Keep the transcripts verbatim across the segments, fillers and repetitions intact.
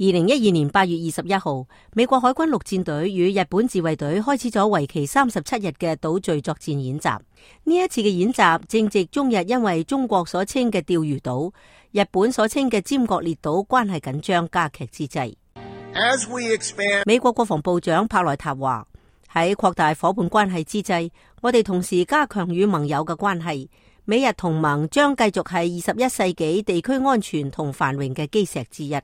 二零一二年八月二十一號，美國海軍陸戰隊與日本自衛隊開始咗為期三十七日嘅島嶼作戰演習。呢一次嘅演習正值中日因為中國所稱嘅釣魚島、日本所稱嘅尖閣列島關係緊張加劇之際。As we expand... 美國國防部長帕萊塔話：喺擴大夥伴關係之際，我哋同時加強與盟友嘅關係。美日同盟將繼續係二十一世紀地區安全同繁榮嘅基石之一。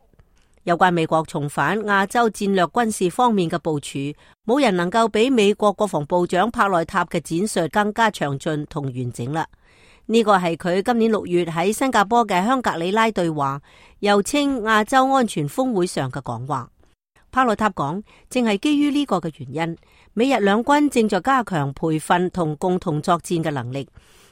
有關美國重返亞洲戰略軍事方面嘅部署，冇人能夠比美國國防部長帕萊塔嘅展述更加詳盡同完整啦。呢個係佢今年六月喺新加坡嘅香格里拉對話，又稱亞洲安全峰會上嘅講話。帕萊塔講，正係基於呢個嘅原因，美日兩軍正在加強培訓同共同作戰嘅能力，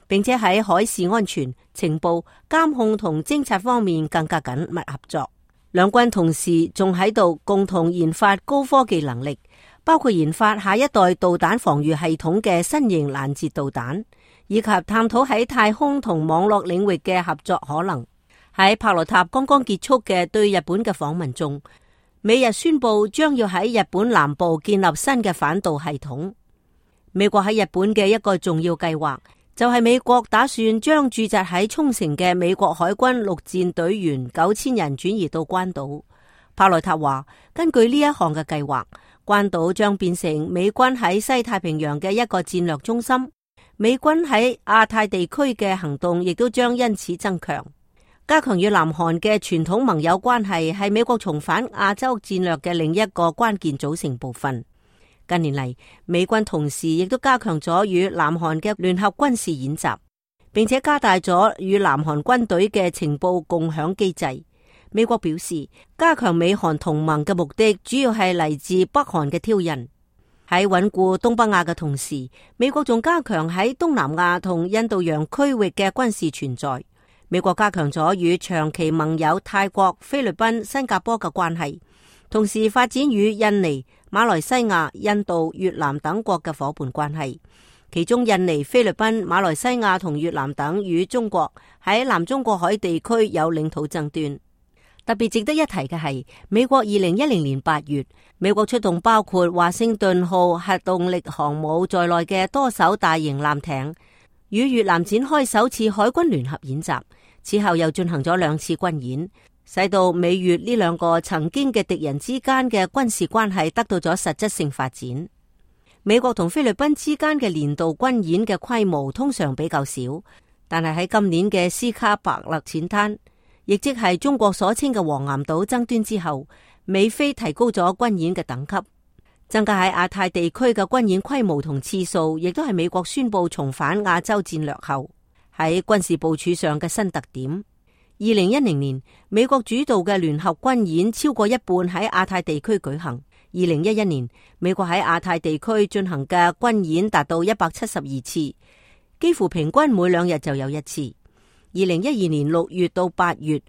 並且喺海事安全、情報、監控同偵察方面更加緊密合作。兩軍同時仲喺度共同研發高科技能力，包括研發下一代導彈防禦系統嘅新型攔截導彈，以及探討喺太空同網絡領域嘅合作可能。喺帕萊塔剛剛結束嘅對日本嘅訪問中，美日宣布將要喺日本南部建立新嘅反導系統。美國喺日本嘅一個重要計劃，就係美國打算將駐紮喺沖繩嘅美國海軍陸戰隊員九千人轉移到關島。帕萊塔話，根據呢一項嘅計劃，關島將變成美軍喺西太平洋嘅一個戰略中心，美軍喺亞太地區嘅行動亦都將因此增強。加強與南韓嘅傳統盟友關係係美國重返亞洲戰略嘅另一個關鍵組成部分。近年嚟，美軍同時亦都加強咗與南韓嘅聯合軍事演習，並且加大咗與南韓軍隊嘅情報共享機制。美國表示，加強美韓同盟嘅目的主要係嚟自北韓嘅挑釁。喺穩固東北亞嘅同時，美國仲加強喺東南亞同印度洋區域嘅軍事存在。美國加強咗與長期盟友泰國、菲律賓、新加坡嘅關係，同時發展與印尼、馬來西亞、印度、越南等國嘅夥伴關係。其中印尼、菲律賓、馬來西亞同越南等與中國喺南中國海地區有領土爭端。特別值得一提嘅係，美國二零一零年八月，美國出動包括華盛頓號核動力航母在內嘅多艘大型艦艇，與越南展開首次海軍聯合演習。此後又進行咗兩次軍演，使到美越呢兩個曾經嘅敵人之間嘅軍事關係得到咗實質性發展。美國同菲律賓之間嘅年度軍演嘅規模通常比較少，但係喺今年嘅斯卡伯勒淺灘，亦即係中國所稱嘅黃岩島爭端之後，美菲提高咗軍演嘅等級，增加喺亞太地區嘅軍演規模同次數，亦都係美國宣布重返亞洲戰略後喺軍事部署上嘅新特點。二零一零年，美國主導嘅聯合軍演超過一半喺亞太地區舉行。二零一一年，美國喺亞太地區進行嘅軍演達到一百七十二次，幾乎平均每兩日就有一次。二零一二年六月到八月，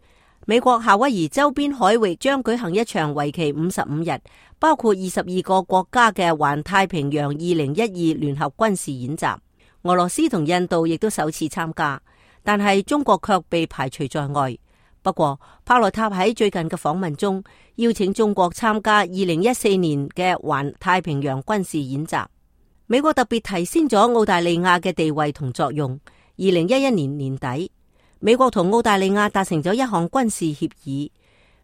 美國夏威夷周邊海域將舉行一場為期五十五日，包括二十二個國家嘅環太平洋二零一二聯合軍事演習。俄羅斯同印度亦都首次參加，但係中國卻被排除在外。不過，帕萊塔喺最近嘅訪問中邀請中國參加二零一四年嘅環太平洋軍事演習。美國特別提升咗澳大利亞嘅地位同作用。二零一一年年底，美國同澳大利亞達成咗一項軍事協議，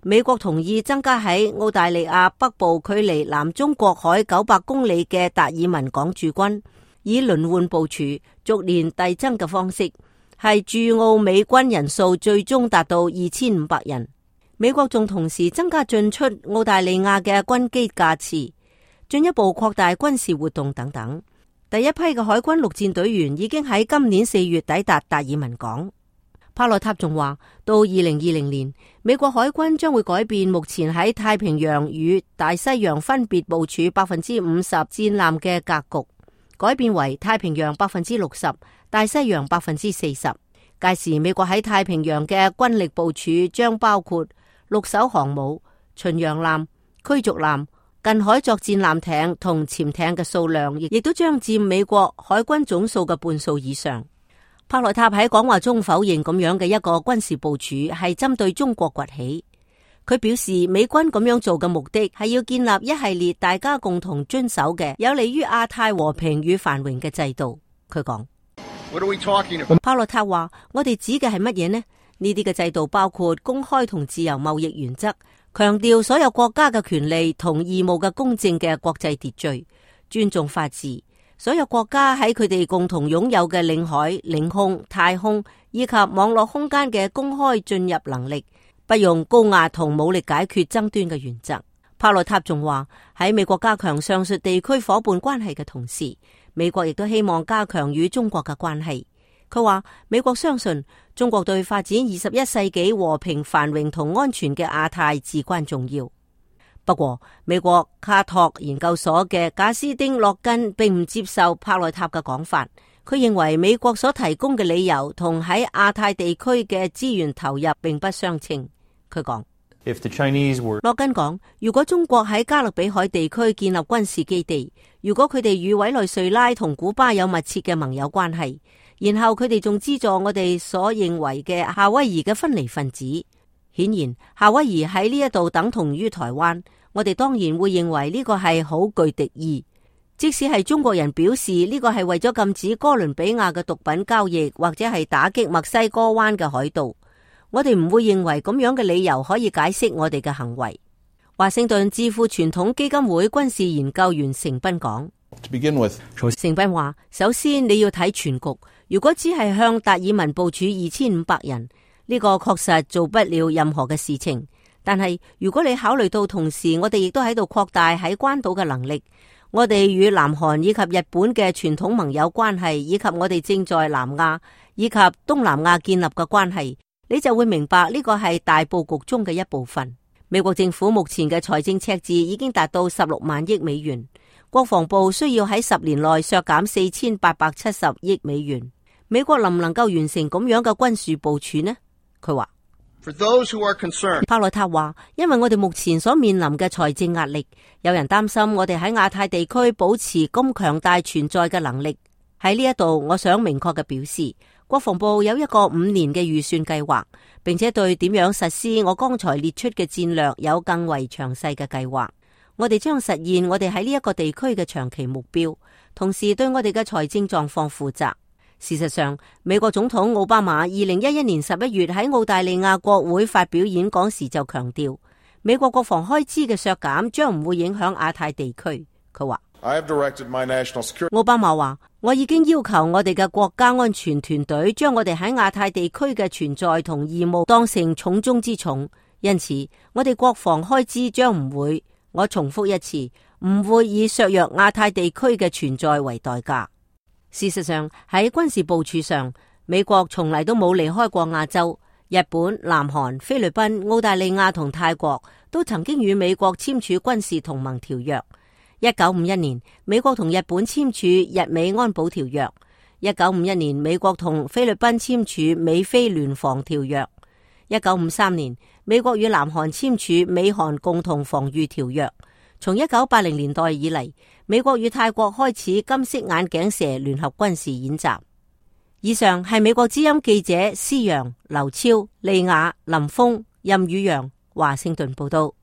美國同意增加喺澳大利亞北部距離南中國海九百公里嘅達爾文港駐軍，以輪換部署、逐年遞增嘅方式，係駐澳美軍人數最終達到二千五百人。美國仲同時增加進出澳大利亞嘅軍機架次，進一步擴大軍事活動等等。第一批嘅海軍陸戰隊員已經喺今年四月抵達達爾文港。帕萊塔仲話，到二零二零年，美國海軍將會改變目前喺太平洋與大西洋分別部署百分之五十戰艦嘅格局，改變為太平洋百分之六十，大西洋百分之四十。屆時，美國喺太平洋嘅軍力部署將包括六艘航母、巡洋艦、驅逐艦、近海作戰艦艇同潛艇嘅數量，亦都將佔美國海軍總數嘅半數以上。帕萊塔喺講話中否認咁樣嘅一個軍事部署係針對中國崛起。佢表示，美軍咁樣做嘅目的係要建立一系列大家共同遵守嘅有利於亞太和平與繁榮嘅制度。佢講，帕洛塔話：我哋指嘅係乜嘢呢？呢啲嘅制度包括公開同自由貿易原則，強調所有國家嘅權利同義務嘅公正嘅國際秩序，尊重法治。所有國家喺佢哋共同擁有嘅領海、領空、太空以及網絡空間嘅公開進入能力，不用高壓同武力解決爭端嘅原則。帕洛塔仲話，喺美國加強上述地區夥伴關係嘅同時，美國亦都希望加強與中國嘅關係。佢話美國相信中國對發展二十一世紀和平繁榮同安全嘅亞太至關重要。不過，美國卡托研究所嘅賈斯丁洛根並唔接受帕洛塔嘅講法。佢認為美國所提供嘅理由同喺亞太地區嘅資源投入並不相稱。佢講，洛根講，如果中國喺加勒比海地區建立軍事基地，如果佢哋與委內瑞拉同古巴有密切嘅盟友關係，然後佢哋仲資助我哋所認為嘅夏威夷嘅分離分子，顯然夏威夷喺呢一度等同於台灣。我哋當然會認為呢個係好具敵意，即使係中國人表示呢個係為咗禁止哥倫比亞嘅毒品交易，或者係打擊墨西哥灣嘅海盜，我哋唔會認為咁樣嘅理由可以解釋我哋嘅行為。華盛頓智庫傳統基金會軍事研究員成斌講，成斌話，首先你要睇全局，如果只係向達爾文部署二千五百人，呢個確實做不了任何嘅事情。但係如果你考慮到同時我哋亦都喺度擴大喺關島嘅能力，我哋與南韓以及日本嘅傳統盟友關係，以及我哋正在南亞以及東南亞建立嘅關係，你就會明白呢個係大佈局中嘅一部分。美國政府目前嘅財政赤字已經達到十六萬億美元，國防部需要喺十年內削減四千八百七十億美元。美國能唔能夠完成咁樣嘅軍事部署呢？佢話。For those who are concerned, 帕洛塔話，因為我哋目前所面臨嘅財政壓力，有人擔心我哋喺亞太地區保持咁強大存在嘅能力。喺呢一度，我想明確嘅表示，國防部有一個五年嘅預算計劃，並且對點樣實施我剛才列出嘅戰略有更為詳細嘅計劃。我哋將實現我哋喺呢一個地區嘅長期目標，同時對我哋嘅財政狀況負責。事實上，美國總統奧巴馬二零一一年十一月喺澳大利亞國會發表演講時就強調，美國國防開支嘅削減將唔會影響亞太地區。佢話，奧巴馬話，我已經要求我哋嘅國家安全團隊將我哋喺亞太地區嘅存在同義務當成重中之重，因此我哋國防開支將唔會，我重複一次，唔會以削弱亞太地區嘅存在為代價。事實上，喺軍事部署上，美國從嚟都冇離開過亞洲。日本、南韓、菲律賓、澳大利亞同泰國都曾經與美國簽署軍事同盟條約。一九五一年，美國同日本簽署日美安保條約。一九五一年，美國同菲律賓簽署美菲聯防條約。一九五三年，美國與南韓簽署美韓共同防禦條約。從一九八零年代以嚟，美國與泰國開始金色眼鏡蛇聯合軍事演習。以上係美國之音記者施陽、劉超、利雅、林峰、任宇陽華盛頓報道。